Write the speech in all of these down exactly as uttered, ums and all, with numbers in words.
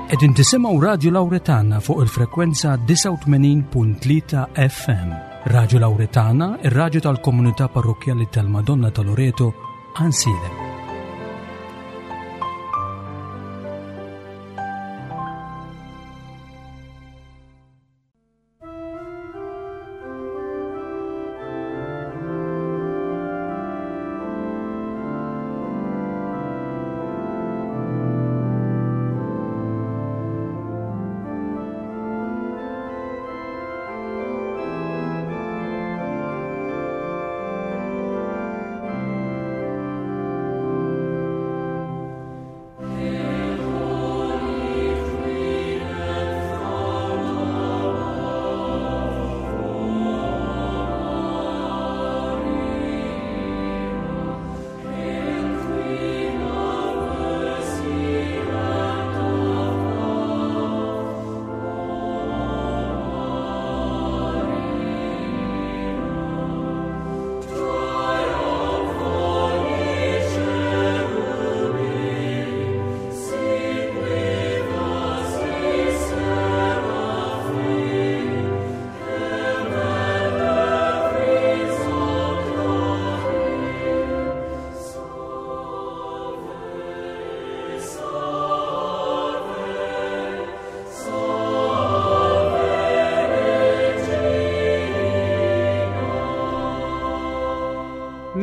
Qegħdin tisimgħu Radio Lauretana fuq il-frekwenza disgħa u tmenin punt tlieta F M. Radio Lauretana, ir-radju tal-komunità parrokjali tal-Madonna ta' Loreto, Għajnsielem.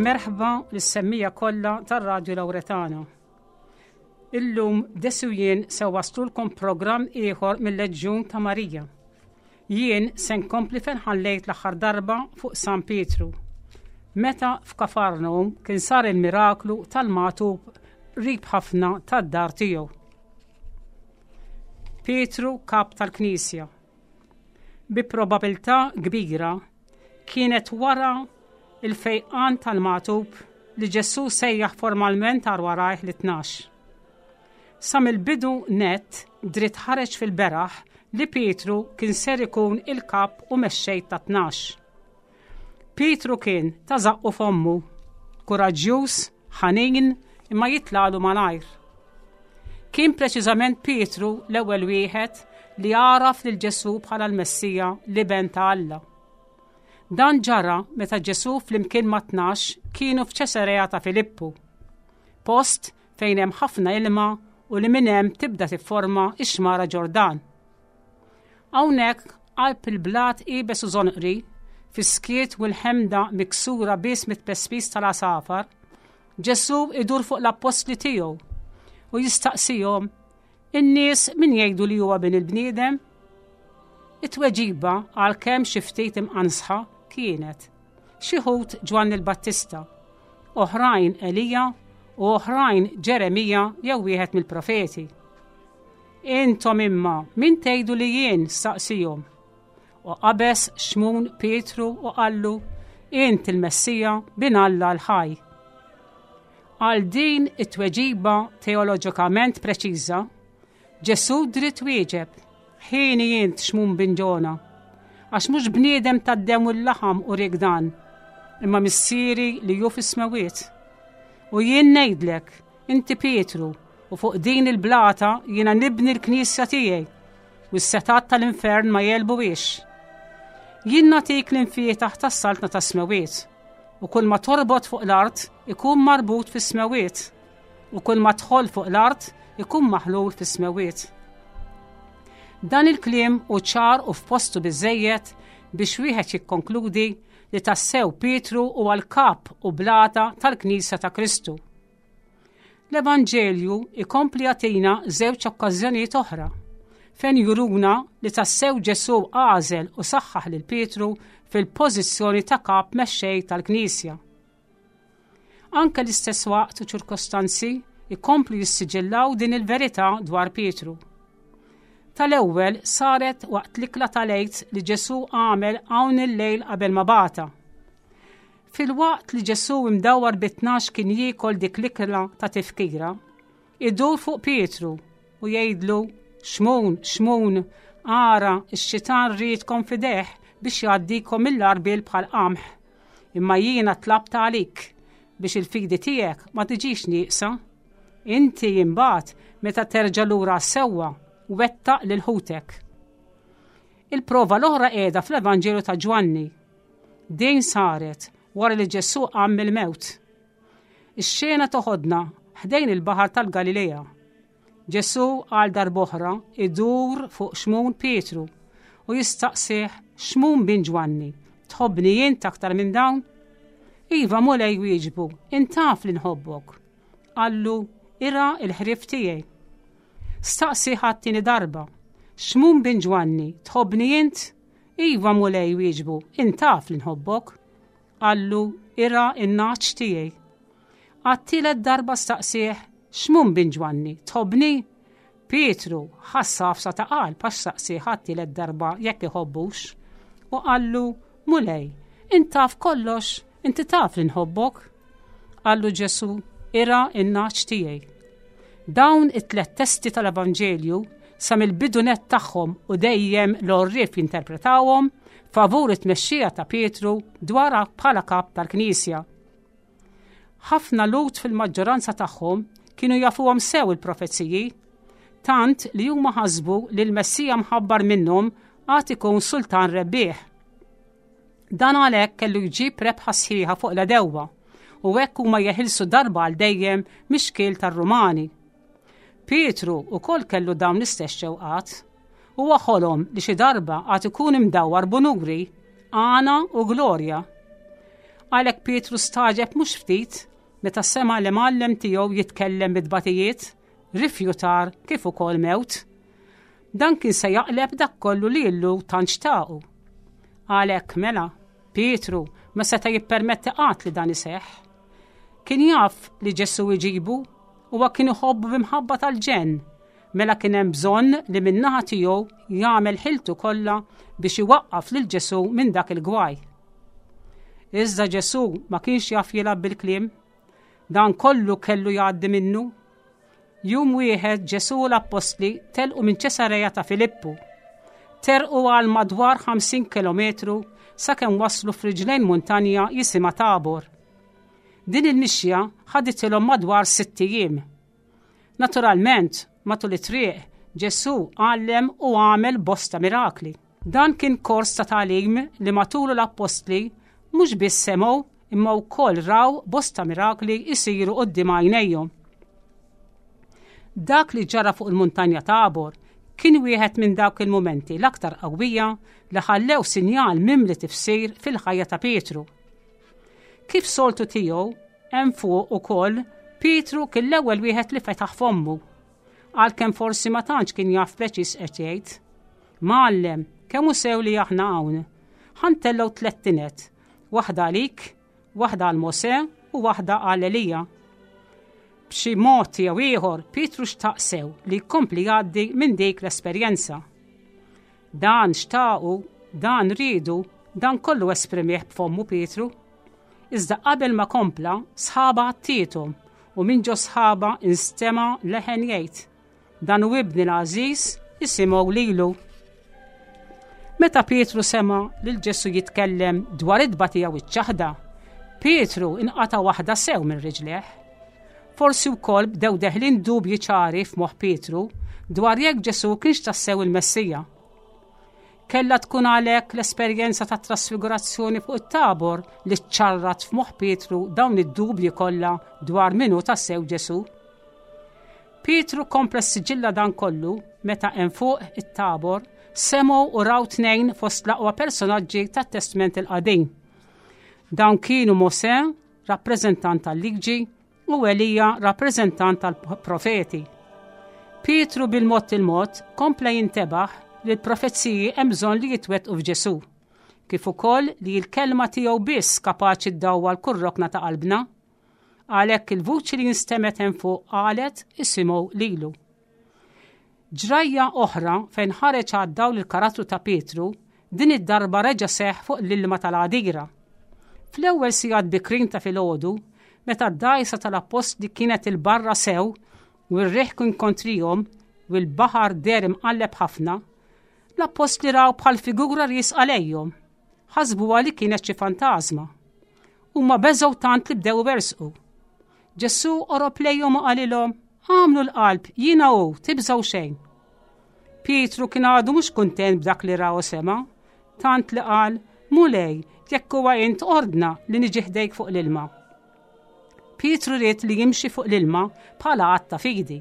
Merħba lis-semmiegħa kollha tar-Radju Lauretana. Illum Desi u jien se nwasslulkom programm ieħor mill-Leġjun ta' Marija. Jien se nkompli fejn ħallejt l-aħħar darba fuq San Pietru. Meta f'Kafarnum kien sar il-miraklu tal-magħtub qrib ħafna tad-dar tiegħu. Pietru, kap tal-Knisja. Bi probabilità kbira kienet wara il-fejqan tal-magħtub li Ġesù sejjaħ formalment għal warajh lit-tnax. Sa mill-bidu net dritt ħareġ fil-beraħ li Pietru kien ser ikun il-kap u mexxej ta' tnax. Pietru kien ta' żaqqu fommu, kuraġġjuż, ħanin, imma jitlalu malajr. Kien preċiżament Pietru l-ewwel wieħed li għaraf lil Ġesù bħala l-Messija, l-Iben ta' Alla. Dan ġara meta Ġesù flimkien ma' tnax kienu f'Ċesarea ta' Filippu, post fejn hemm ħafna ilma u li minn hemm tibda tifforma ix-xmara Ġordan. Hawnhekk, qalb il-blat iebes u żonqri, fis-skiet u l-ħemda miksura biss mit-pespis tal-għasafar, Ġesù idur fuq l-appostli tiegħu u jistaqsihom: "In-nies min jgħidu li huwa bin il-bniedem?" It-tweġiba, għalkemm xi ftit imqansħa, kienet: "Xi wħud Ġwanni l-Battista, oħrajn Elija u oħrajn Ġeremija jew wieħed mill-profeti." "Intom imma min tgħidu li jien?" staqsihom. U qabeż Xmun Pietru u qallu: "Int il-Messija, bin Alla l-ħaj." Għal din it-tweġiba teoloġikament preċiża, Ġesù dritt wieġeb: "Ħieni int, Xmun bin Ġona, għax mhux bniedem tad-demm u l-laħam uriek dan, imma Missieri li hu fis-smewiet. U jien ngħidlek, inti Pietru, u fuq din il-blata jiena nibni l-knisja tiegħi, u s-setgħat tal-infern ma jegħlbuhiex. Jien nagħtik l-imfietaħ tas-saltna tas-smewiet, u kull ma torbot fuq l-art ikun marbut fis-smewiet, u kull ma tħoll fuq l-art ikun maħlul fis-smewiet." Dan il-kliem hu ċar u f'postu biżejjed biex wieħed jikkonkludi li tassew Pietru huwa l-kap u blata tal-Knisja ta' Kristu. L-Evanġelju ikompli jagħtina żewġ okkażjonijiet oħra fejn juruna li tassew Ġesù għażel u saħħaħ lil Pietru fil-pożizzjoni ta' kap mexxej tal-Knisja. Anke l-istess waqt u ċirkostanzi ikomplu jissiġillaw din il-verità dwar Pietru. Tal-ewwel saret waqt l-ikla tal-Għid li Ġesù għamel hawn il-lejl qabel ma bata. Filwaqt li Ġesù imdawar bit-tnax kien jiekol dik l-ikla ta' tifkira, idur fuq Pietru u jgħidlu: "Xmun, Xmun, ara, ix-xitan riedkom f'idejh biex jgħaddikom mill-għarbiel bħal qamħ. Imma jiena tlabt għalik biex il-fidi tiegħek ma tiġix nieqsa. Inti imbagħad, meta terġa' lura sewwa, Wettaq lil ħutek. Il-prova l-oħra qiegħda fl-Evanġelju ta' Ġwanni. Din saret wara li Ġesù qam mill-mewt. Ix-xena toħodna ħdejn il-baħar tal-Galilea. Ġesù għal darb'oħra idur fuq Xmun Pietru u jistaqsih Xmun bin Ġwanni, tħobbni int aktar minn dawn? Iva Mulej wieġbu, int taf li nħobbok. Qallu, irgħa l-ħrief tiegħi. Staqsieh għat-tieni darba, Xmun bin Ġwanni, tħobbni int? Iva Mulej wieġbu, int taf li nħobbok. Qallu, irgħa n-nagħaġ tiegħi. Għat-tielet darba staqsieh, Xmun bin Ġwanni, tħobbni? Pietru ħass għafsa ta' qalb għax staqsieh għat-tielet darba jekk iħobbux. U qallu, Mulej, int taf kollox, inti taf li nħobbok. Qallu Ġesù, irgħa n-nagħaġ tiegħi. Dawn it-tlet testi tal-Evanġelju sa mill-bidu nett tagħhom u dejjem l-għorrief jinterpretawhom favur it-tmexxija ta' Pietru dwar bħala kap tal-Knisja. Ħafna Lhud fil-maġġoranza tagħhom kienu jafuhom sew il-profeziji, tant li huma ħasbu li l-Messija mħabbar minnhom għad ikun sultan rebbieħ. Dan għalhekk kellu jġib rebħa sħiħa fuq l-għedewwa u hekk huma jeħilsu darba għal dejjem mix-xkiel tar-Rumani. Pietru ukoll kellu dawn l-istess xewqat. Huwa ħolom li xi darba għad ikun imdawwar b'unuri, għana u glorja. Għalhekk Pietru stagħġeb mhux ftit meta sema l-imgħallem tiegħu jitkellem bit-tbatijiet, rifjutar kif ukoll mewt. Dan kien se jaqleb dak kollu li illu tant xtaqu. Għalhekk mela, Pietru ma seta' jippermetti qatt li dan iseħħ. Kien jaf li Ġesù jġibu u kien iħobbu b'imħabba tal-ġenn, mela kien hemm bżonn li min-naħa tiegħu jagħmel ħiltu kollha biex iwaqqaf lil Ġesù minn dak il-gwaj. Iżda Ġesù ma kienx jaf jilgħab bil-kliem, dan kollu kellu jgħaddi minnu. Jum wieħed Ġesù u l-appostli telqu minn Ċesareja ta' Filippu. Terqu għal madwar ħamsin kilometru sakemm waslu f'riġlejn muntanja jisimha Tabor. Din il-mixja ħaditilhom madwar sitt ijiem. Naturalment, matul it-triq, Ġesù għallem u għamel bosta mirakli. Dan kien kors ta' tagħlim li matulu l-appostli mhux biss semgħu imma wkoll raw bosta mirakli jsiru quddiem għajnejhom. Dak li ġara fuq il-muntanja Tabor kien wieħed minn dawk il-mumenti l-aktar qawwija li ħallew sinjal mimli tifsir fil-ħajja ta' Pietru. Kif soltu tiegħu hemm fuq ukoll Pietru kien l-ewwel wieħed li fetaħ fommu. Għalkemm forsi ma tantx kien jaf preċiż qed jgħid. Mgħallem, kemm hu sew li aħna hawn. Ħa ntellgħu tliet tined, waħda għalik, waħda għal Mosè u waħda għal Elija. B'xi mod jew ieħor Pietru xtaq sew li jkompli jgħaddi minn dik l-esperjenza. Dan xtaqu, dan riedu, dan kollu esprimih b'fommu Pietru. Iżda qabel ma kompla, sħaba għattietom u minn ġo sħaba instema leħen jgħid, dan hu ibni l-għażiż, isimgħu lilu. Meta Pietru sema lil Ġesù jitkellem dwar it-tbatija u ċ-ċaħda, Pietru inqata' waħda sew minn riġleh. Forsi wkoll bdew deħlin dubji ċari f'moħħ Pietru dwar jekk Ġesù kienx tassew il-Messija. Kellha tkun għalhekk l-esperjenza ta' trasfigurazzjoni fuq it-Tabor li ċarrat f'moħħ Pietru dawn id-dubji kollha dwar min hu tassew Ġesù. Pietru kompla siġilla dan kollu meta hemm fuq it-Tabor semgħu u raw tnejn fost l-aqwa personaġġi tat-Testment il-Qadim. Dawn kienu Mosè, rappreżentant tal-liġi, u Elija, rappreżentant tal-profeti. Pietru bil-mod il-mod kompla jintebaħ li l-profeziji hemm bżonn li jitwettqu f'Ġesù, kif ukoll li l-kelma tiegħu biss kapaċi ddawwal kull rokna ta' qalbna. Għalhekk il-vuċi li instemgħet hemm fuq qalet isimgħu lilu. Ġrajja oħra fejn ħareġ għad-dawl il-karattru ta' Pietru, din id-darba reġa' seħħ fuq l-ilma tal-għadira. Fl-ewwel sigħat bikrin ta' filgħodu, meta d-dgħajsa tal-appostli kienet il-barra sew u r-riħ kien kontrihom u l-baħar deher imqalleb ħafna, l-appostli raw bħal figura riesqa lejhom. Ħasbuha li kienet xi fantażma. Huma beżgħu tant li bdew jersqu. Ġesù qorob lejhom u qalilhom, Agħmlu l-qalb, jiena hu, tibżgħu xejn. Pietru kien għadu mhux kuntent b'dak li ra u sema, tant li qal, Mulej, jekk huwa int ordna li niġi ħdejk fuq l-ilma. Pietru ried li jimxi fuq l-ilma bħala att ta' fidi.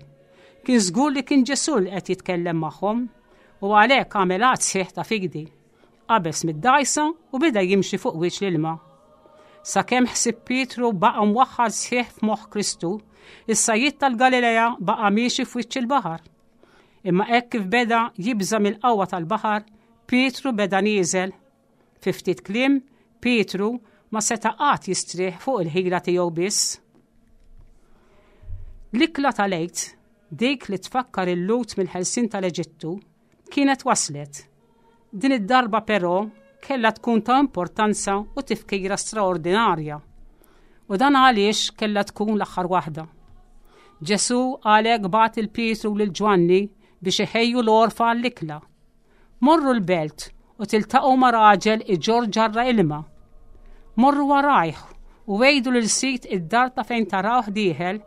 Kien żgur li kien Ġesù li qed jitkellem magħhom u għalhekk għamel att sħiħ ta' fidi. Qabeż mid-dgħajsa u beda jimxi fuq wiċċ l-ilma. Sakemm ħsieb Pietru baqa' mwaħħal sħiħ f'moħħ Kristu, is-sajjied tal-Galilea baqa' miexi f'wiċċ il-baħar. Imma hekk kif beda jibża' mill-qawwa tal-baħar, Pietru beda nieżel. Fi ftit kliem, Pietru ma seta' qatt jistrieħ fuq il-ħila tiegħu biss. L-ikla tal-Għid, dik li tfakkar il-Lhud mill-ħelsien tal-Eġittu, kienet waslet. Din id-darba però kellha tkun ta' importanza u tifkira straordinarja. U dan għaliex kellha tkun l-aħħar waħda. Ġesù għalhekk bagħat lil Pietru lil Ġwanni biex iħejju l-għorfa għall-ikla. Morru l-belt u tiltaqgħu ma' raġel iġorr ġarra ilma. Morru warajh u għidu lil sid id-dar ta' fejn tarawh dieħel,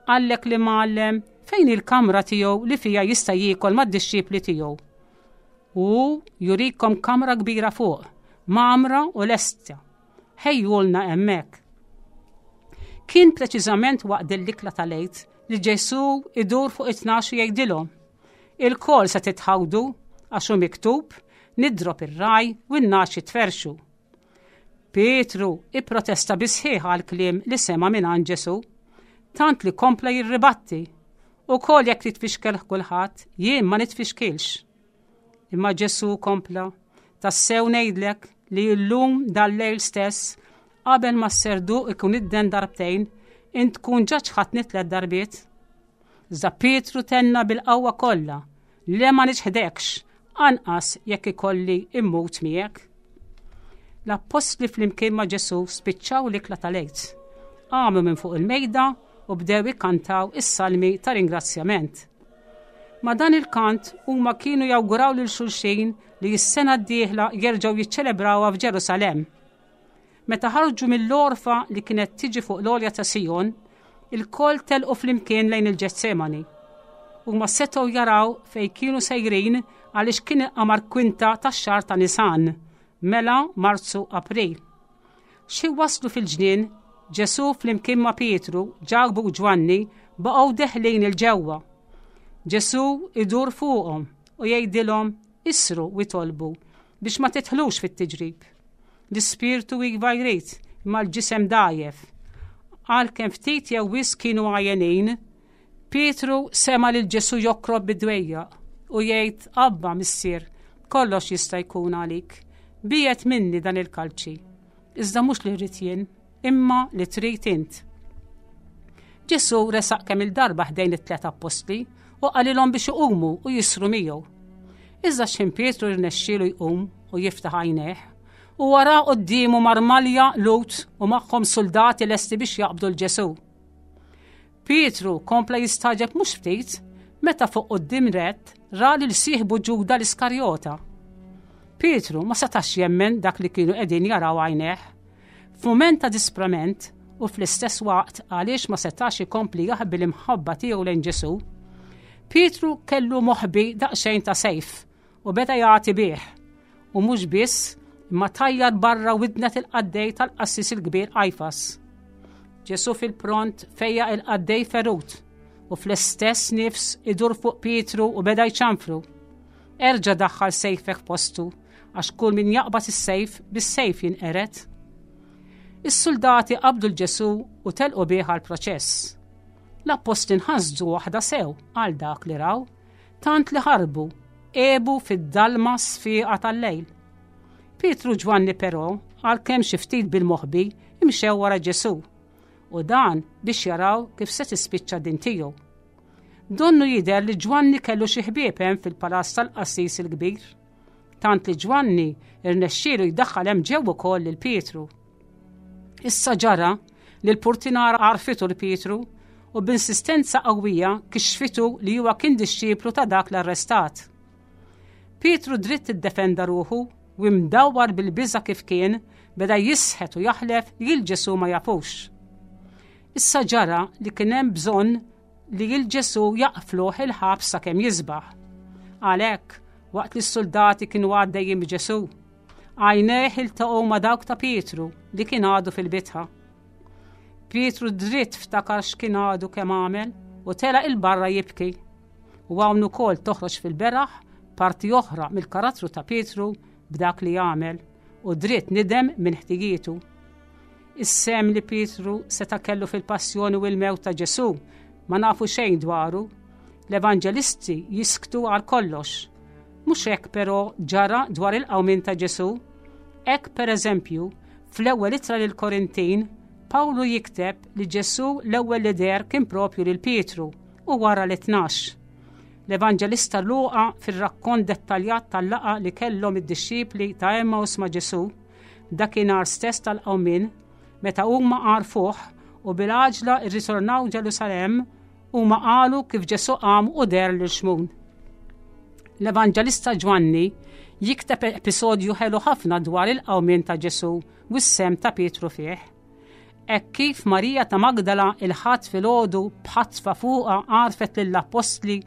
qallek l-Imgħallem fejn il-kamra tiegħu li fija jista' jiekol mad-dixxipli tiegħu. U jurikom kamra kbira fuq, mgħammra u lesta. Ħejjulna hemmhekk. Kien preċiżament waqt l-ikla tal-Għid li Ġesù idur fuq it-tnax u jgħidilhom. Ilkoll se titħawdu għax hu miktub, nidrob ir-ragħaj u n-nagħaġ jitferrxu. Pietru ipprotesta bis-sħiħ għall-kliem li sema minn Ġesù, tant li kompla jirribatti. Ukoll jekk titfixkel kulħadd, jien ma nitfixkilx. Imma Ġesù kompla, tassew ngħidlek li llum dal-lejl stess, qabel ma s-serduq ikun idden darbtejn, int tkun ġa ċħadtni tliet darbiet. Iżda Pietru tenna bil-qawwa kollha, le ma niċħdekx, anqas jekk ikolli immut miegħek. L-appostli flimkien ma' Ġesù spiċċaw l-ikla tal-Għid. Qamu minn fuq il-mejda u bdew ikkantaw is-salmi ta' ringrazzjament. Ma' dan il-kant huma kienu jawguraw lil xulxin li s-sena d-dieħla jerġgħu jiċċelebrawha f'Ġerusalemm. Meta ħarġu mill-għorfa li kienet tiġi fuq l-għolja ta' Sijon, ilkoll telqu flimkien lejn il-Ġetsemani. Huma setgħu jaraw fejn kienu sejrin għaliex kien il-qamar kwinta tax-xahar ta' Nisan, mela Marzu April. Xi waslu fil-ġnien, Ġesù flimkien ma' Pietru, Ġakbu u Ġwanni baqgħu deħlin 'il ġewwa. Ġesù idur fuqhom u jgħidilhom ishru u itolbu biex ma tidħlux fit-tiġrib. L-ispirtu iva jrid imma l-ġisem dgħajjef. Għalkemm ftit jew wisq kienu għajjenin, Pietru sema lil Ġesù jokrob bid-dwejjaq u jgħid Abba missier, kollox jista' jkun għalik. Biegħed minni dan il-kalċi. Iżda mhux li rrid jien, imma li trid int. Ġesù resaq kemm il-darba ħdejn it-tlet appostli u qalilhom biex iqumu u jisru miegħu. Iżda x'ħin Pietru rnexxielu jqum u jiftaħ għajnejh u wara quddiemu marmalja Lhud u magħhom soldati lesti biex jaqbdu 'l Ġesù. Pietru kompla jistagħġeb mhux ftit meta fuq quddiem nett ra lil sieħbu Ġuda l-Iskarjota. Pietru ma setax jemmen dak li kienu qegħdin jaraw għajnejh. F'mument ta' disprament u fl-istess waqt għaliex ma setax ikompli jaħbi l-imħabba tiegħu lejn Ġesù, Pietru kellu moħbi daqsxejn ta' sejf u beda jagħti bih. U mhux biss imma tajjar barra widnet il-qaddej tal-qassis il-kbir Qajfas. Ġesù fil-pront fejjaq il-qaddej ferut u fl-istess nifs idur fuq Pietru u beda jċanfru. Erġa' daħħal sejfek postu għax kull min jaqbad is-sejf bis-sejf jinqered. Is-soldati qabdu 'l Ġesù u telqu bih għal-proċess. L-appostli nħasdu waħda sew għal dak li raw, tant li ħarbu, għebu fid-dalma sfiqa tal-lejl. Pietru Ġwanni però, għalkemm xi ftit bil-moħbi, imxew wara Ġesù u dan biex jaraw kif se tispiċċa din tiegħu. Donnu jidher li Ġwanni kellu xi ħbieb hemm fil-palazz tal-qassis il-kbir. Tant li Ġwanni irnexxielu jdaħħal hemm ġew ukoll lil Pietru. Issa ġara li l-purtinara għarfitu 'l Pietru u b'insistenza qawwija kixfitu li huwa kien dixxiplu ta' dak l-arrestat. Pietru dritt iddefenda ruħu u imdawwar bil-biża kif kien beda jisħet u jaħlef li 'l Ġesù ma jafux. Issa ġara li kien hemm bżonn li 'l Ġesù jaqfluh il-ħabs sakemm jisbaħ. Għalhekk, waqt li s-soldati kienu għaddejjin b'Ġesù, għajnejh iltaqgħu ma' dawk ta' Pietru li kien għadu fil-bitħa. Pietru dritt ftakar x'kien għadu kemm għamel u telaq 'il barra jibki. U hawn ukoll toħroġ fil-beraħ parti oħra mill-karattru ta' Pietru b'dak li għamel u dritt nidem minn ħtijietu. Is-sehem li Pietru seta' kellu fil-passjoni u l-mewt ta' Ġesù ma nafu xejn dwaru. L-evanġelisti jisktu għal kollox. Mhux hekk però ġara dwar il-qawmien ta' Ġesù. Hekk pereżempju, fl-ewwel ittra lil Korintin, Pawlu jikteb li Ġesù l-ewwel li deher kien propju lil Pietru u wara li tnax. L-Evanġelista Luqa fir-rakkont dettaljat tal-laqgħa li kellhom id-dixxipli ta' Emmaus ma' Ġesù, dakinhar stess tal-qawmien, meta huma għarfuh u bil-għaġla rritornaw Ġerusalemm, huma qalu kif Ġesù qam u deher lil Xmun. L-Evanġelista Ġwanni jikteb episodju ħelu ħafna dwar il-qawmien ta' Ġesù u s-sehem ta' Pietru fih. Hekk kif Marija ta' Magdala il-Ħadd filgħodu b'ħatfa fuqha għarfet lill-appostli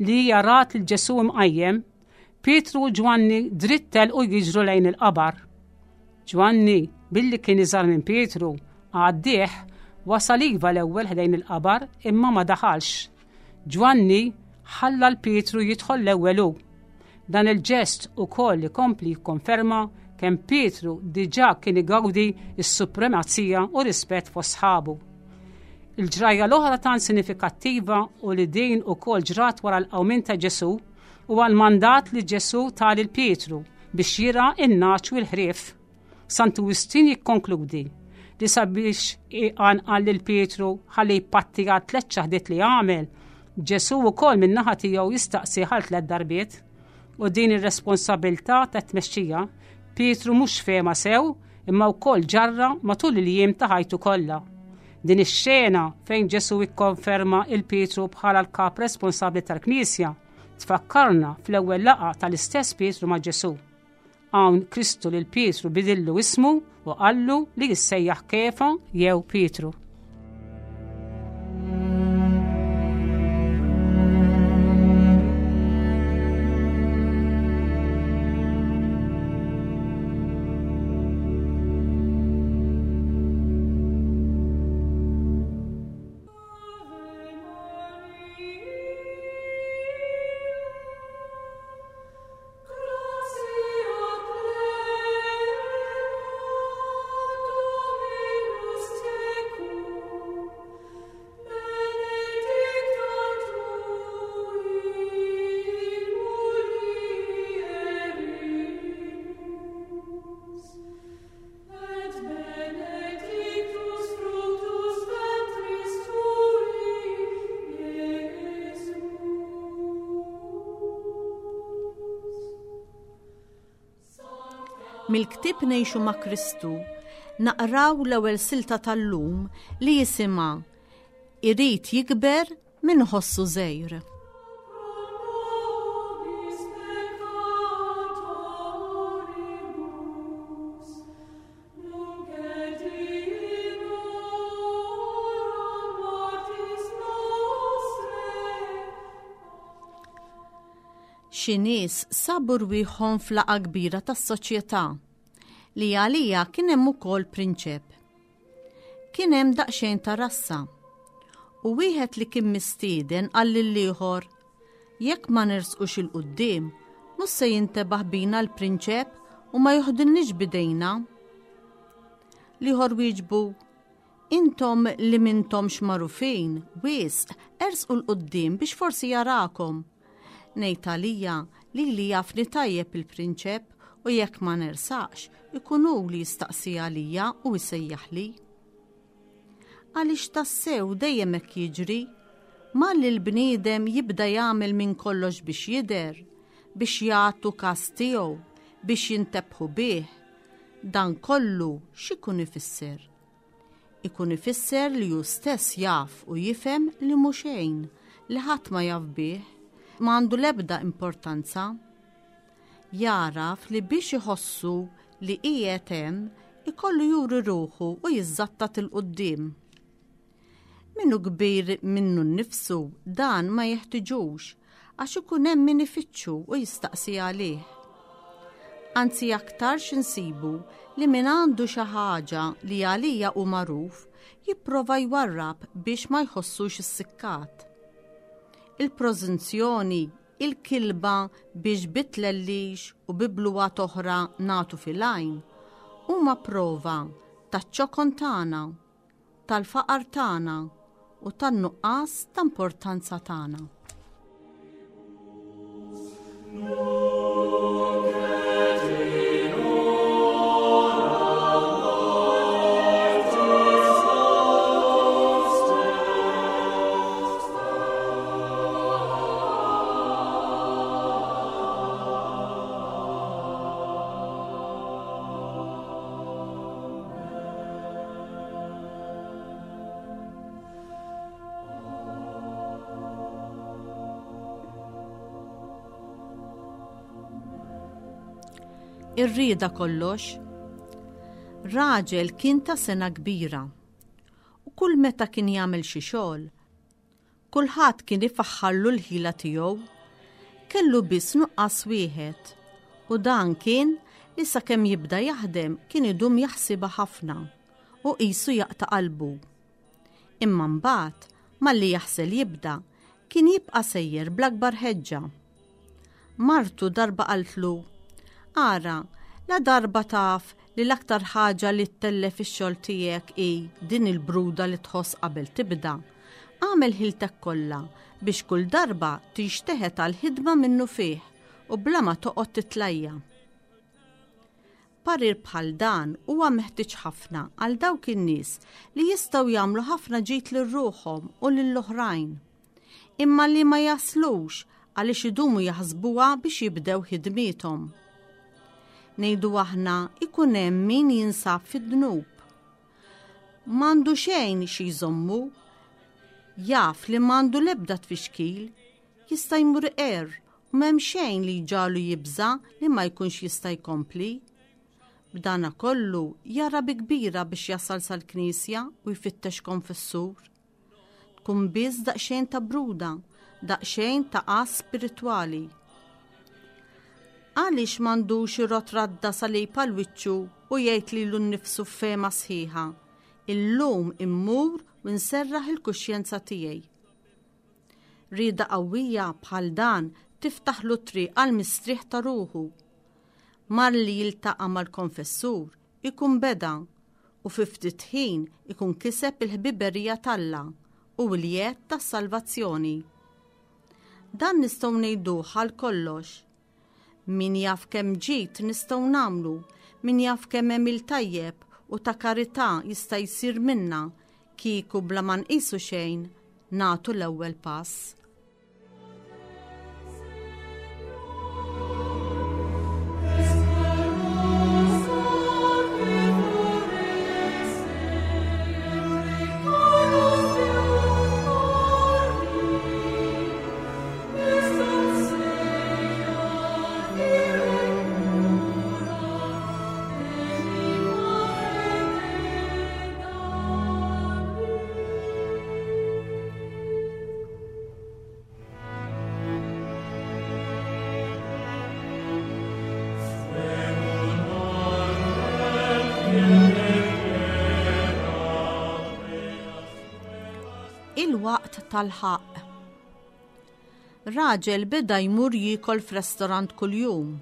li hija rat lil Ġesù imqajjem, Pietru u Ġwanni dritt telqu jiġru lejn il-qabar. Ġwanni, billi kien iżgħar minn Pietru, għaddih wasal iva l-ewwel ħdejn il-qabar imma ma daħalx. Ġwanni ħalla 'l Pietru jidħol l-ewwel hu. Dan il-ġest ukoll ikompli jikkonferma kemm Pietru diġà kien igawdi s-supremazija u rispett fost sħabu. Il-ġrajja l-oħra tant sinifikattiva u li din ukoll ġrat wara l-qawmien ta' Ġesù huwa l-mandat li Ġesù ta lil Pietru biex jirgħa n-nagħaġ u l-ħrief. Santu Wistin jikkonkludi li sabiex iqanqal lil Pietru ħalli jpatti għal tliet ċaħdiet li għamel, Ġesù wkoll min-naħa tiegħu jistaqsi għal tliet darbiet. U din ir-responsabilità ta' tmexxija Pietru mhux fehma sew imma wkoll ġarra matul il-jiem ta' ħajtu kollha. Din ix-xena fejn Ġesù ikkonferma il Pietru bħala l-kap responsabbli tal-Knisja tfakkarna fl-ewwel laqgħa tal-istess Pietru ma' Ġesù. Hawn Kristu lil Pietru bidillu ismu u qallu li jissejjaħ Kefa jew Pietru. Mill-ktieb Ngħixu ma' Kristu naqraw l-ewwel silta tal-lum li jisimha Irid jikber min ħossu żgħir. Xi nies sabu rwieħhom f'laqgħa kbira tas-soċjetà li għalija kien hemm ukoll prinċep. Kien hemm daqsxejn ta' rassa u wieħed li kien mistieden qal lill-ieħor, jekk ma nersqux 'il quddiem, mhux se jintebaħ bina l-prinċep u ma joħdilniex bidejna. L-ieħor wieġbu, intom li mintomx magħrufin, wisq, ersqu 'l quddiem biex forsi jarakom. Ngħid għalija li li jafni tajjeb il-prinċep u jekk ma nersaqx, ikun hu li jistaqsi għalija u jsejjaħli. Għaliex tassew dejjem hekk jiġri, malli l-bniedem jibda jagħmel minn kollox biex jidher, biex jagħtu każ tiegħu, biex jintebħu bih, dan kollu x'ikun ifisser? Ikun ifisser li hu stess jaf u jifhem li mhu xejn, li ħadd ma jaf bih, ma għandu l-ebda importanza. Jaraf li biex iħossu li qiegħed hemm ikollu juri ruħu u jiżżattat il-quddiem. Minnu kbir minnu nnifsu dan ma jeħtiġux għax ikun hemm min ifittxu u jistaqsi għalih. Anzi aktarx insibu li min għandu xi ħaġa li għalija hu magħruf jipprova jwarrab biex ma jħossux issikkat. Il-prożunzjoni, il-kilba biex bitlellix u bi bluha oħra nagħtu fil-għajn, huma prova taċ-ċokon tagħna, tal-faqar tagħna u tan-nuqqas ta' importanza tagħna. Ir-rieda kollox. Raġel kien ta' sena kbira u kull meta kien jagħmel xi xogħol, kulħadd kien ifaħħarlu l-ħila tiegħu. Kellu biss nuqqas wieħed u dan kien li sakemm jibda jaħdem kien idum jaħsibha ħafna u qisu jaqta' qalbu. Imma mbagħad malli jaħsel jibda kien jibqa' sejjer bl-akbar ħeġġa. Martu darba qaltlu: "Ara, la darba taf li l-aktar ħaġa li ttellef ix-xogħol tiegħek hi din il-bruda li tħoss qabel tibda. Agħmel ħiltek kollha biex kull darba tinxteħet għall-ħidma minnufih u bla ma toqgħod titlajja." Parir bħal dan huwa meħtieġ ħafna għal dawk in-nies li jistgħu jagħmlu ħafna ġid lil ruħhom u lill-oħrajn, imma li ma jaslux għaliex idumu jaħsbuha biex jibdew ħidmiethom. Ngħidu aħna ikun hemm min jinsab fid-dnub. M'għandu xejn xi jżommu, jaf li m'għandu l-ebda tfixkil, jista' jmur iqerr u m'hemm xejn li jġagħlu jibża' li ma jkunx jista' jkompli. B'dana kollu jara bi kbira biex jasal sal-knisja u jfittex konfessur. Tkun biss daqsxejn ta' bruda, daqsxejn ta' qas spiritwali. Għaliex m'għandux irot radda salib għal wiċċu u jgħid lilu nnifsu f'fehma sħiħa: "Illum immur u nserraħ il-kuxjenza tiegħi." Rieda qawwija bħal dan tiftaħlu triq għal mistrieħ ta' ruħu. Malli jiltaqa' mal-konfessur ikun beda u fi ftit ħin ikun kiseb il-ħbiberija t'Alla u l-jedd tas-salvazzjoni. Dan nistgħu ngħiduh għal kollox. Min jaf kemm ġid nistgħu nagħmlu, min jaf kemm għemil tajjeb u ta' karità jista' jsir minna kieku bla ma nqisu xejn nagħtu l-ewwel pass. Il-waqt tal-ħaqq. Raġel beda jmur jiekol f'restorant kuljum,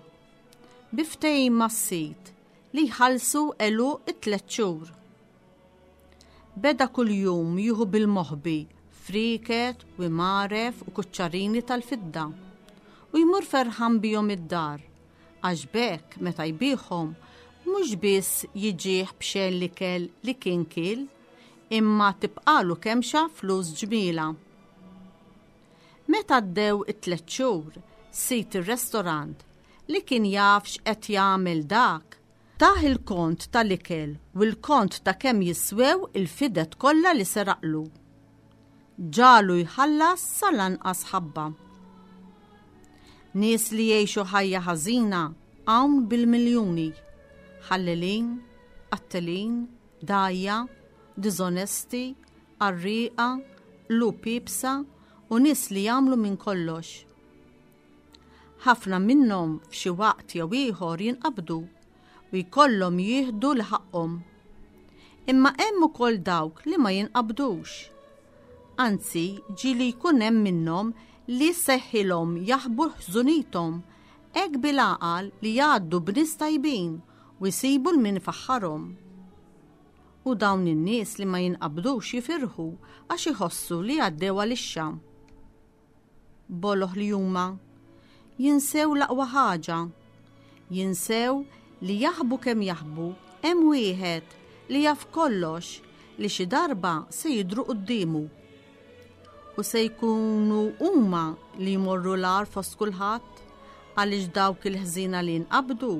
bi ftehim mas-sid li jħallsu għeluq it-tliet xhur. Beda kuljum jieħu bil-moħbi friket u imaref u kuċċarini tal-fidda u jmur ferħan bihom id-dar, għax b'hekk meta jbigħhom mhux biss jiġih b'xejn l-ikel li kien kiel, imma tibqalu kemxa flus ġmiela. Meta għaddew it-tliet xhur, sid ir-restorant li kien jaf x'qed jagħmel dak, tah il-kont tal-ikel u l-kont ta' kemm jiswew il-fidet kollha li seraqlu. Ġalu jħallas sal-anqas ħabba. Nies li jgħixu ħajja ħażina hawn bil-miljuni, ħallelin, qattelin, dgħajja, diżonesti, qarrieqa, qlub iebsa u nies li jagħmlu minn kollox. Ħafna minnhom f'xi waqt jew ieħor jinqabdu u jkollhom jieħdu l ħaqhom. Imma hemm ukoll dawk li ma jinqabdux. Anzi, ġieli jkun hemm minnhom li seħħilhom jaħbu ħżunithom hekk bil-għaqal li jgħaddu b'nies tajbin u jsibu 'l min ifaħħarhom. U dawn in-nies li ma jinqabdux jifirħu għax iħossu li għaddew għalixxa. Boloh li huma jinsew l-aqwa ħaġa, jinsew li jaħbu kemm jaħbu hemm wieħed li jaf kollox li xi darba se jidhru quddiemu. U se jkunu huma li jmorru l-agħar fost kulħadd għaliex dawk il-ħżiena li nqabdu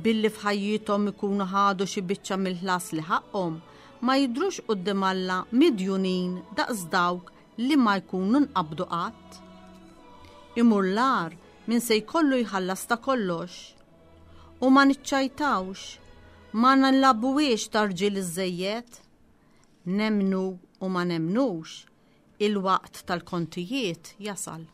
billi f'ħajjithom ikunu ħadu xi biċċa mill-ħlas li ħaqhom ma jidhrux quddiem Alla midjunin daqs dawk li ma jkunu nqabdu qatt. Imur l-agħar min se jkollu jħallas ta' kollox. U ma niċċajtawx, ma nilagħbuhiex ta' rġiel iżżejjed. Nemmnu u ma nemmnux, il-waqt tal-kontijiet jasal.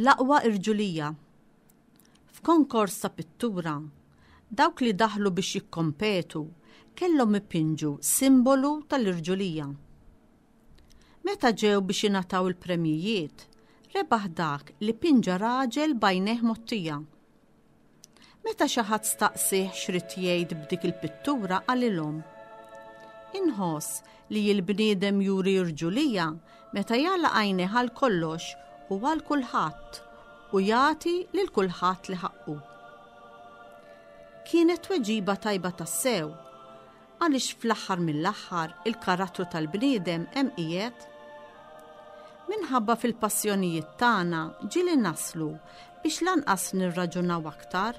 L-aqwa irġulija. F'konkors ta' pittura, dawk li daħlu biex jikkompetu kellhom ipinġu simbolu tal-irġulija. Meta ġew biex jingħataw il-premjijiet, rebaħ dak li pinġa raġel b'għajnejh mgħottija. Meta xi ħadd staqsih x'rid jgħid b'dik il-pittura qalilhom: Inħoss li l-bniedem juri irġulija meta jagħlaq għajnejh għal kollox u għal kulħadd u jagħti lil kulħadd li ħaqqu. Kienet tweġiba tajba tassew, għaliex fl-aħħar mill-aħħar il-karattru tal-bniedem hemm qiegħed. Minħabba fil-passjonijiet tagħna ġieli naslu biex lanqas nirraġunaw aktar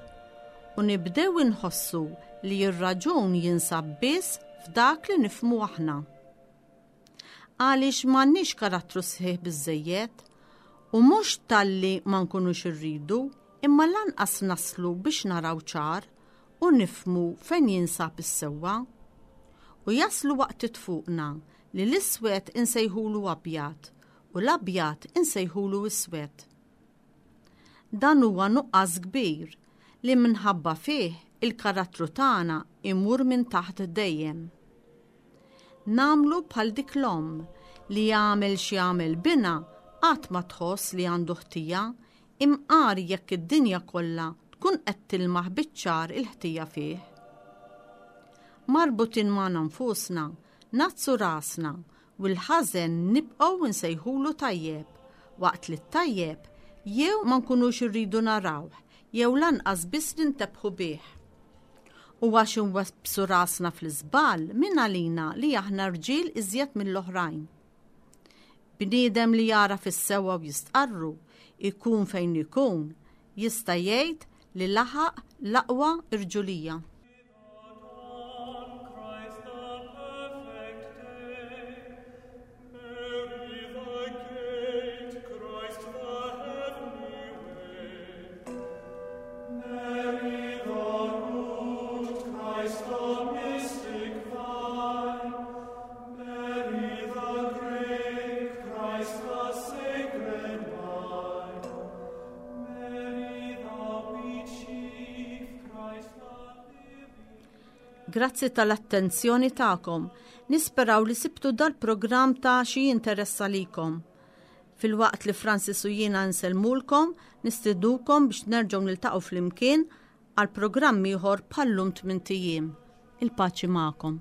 u nibdew inħossu li r-raġun jinsab biss f'dak li nifhmu aħna. Għaliex m'għandniex karattru sħiħ biżżejjed u mhux talli ma nkunux irridu, imma lanqas naslu biex naraw ċar u nifhmu fejn jinsab is-sewwa. U jaslu waqt fuqna li l-iswed insejħulu abjad u l-abjad insejħulu iswed. Dan huwa nuqqas kbir li minħabba fih il-karattru tagħna imur minn taħt dejjem. Nagħmlu bħal dik l-omm li jagħmel x'jagħmel bina qatt ma tħoss li għandu ħtija, imqar jekk id-dinja kollha tkun qed tilmaħ biċ-ċar il-ħtija fih. Marbutin magħna nfusna, nazzu rasna u l-ħażen nibqgħu nsejħulu tajjeb, waqt li t-tajjeb jew ma nkunux irridu narawh jew lanqas biss nintebħu bih. U għax inwebbsu rasna fl-iżball min għalina li aħna rġiel iżjed mill-oħrajn. Bniedem li jara fis-sewwa u jistqarru, ikun fejn ikun, jista' jgħid li laħaq l-aqwa irġulija. Grazzi tal-attenzjoni tagħkom. Nisperaw li sibtu dal-programm ta' xi interess għalikom. Filwaqt li Francis u jiena nsellmulkom, nistiednukom biex nerġgħu niltaqgħu flimkien għal programm ieħor bħallum tmint ijiem. Il-paċi magħkom.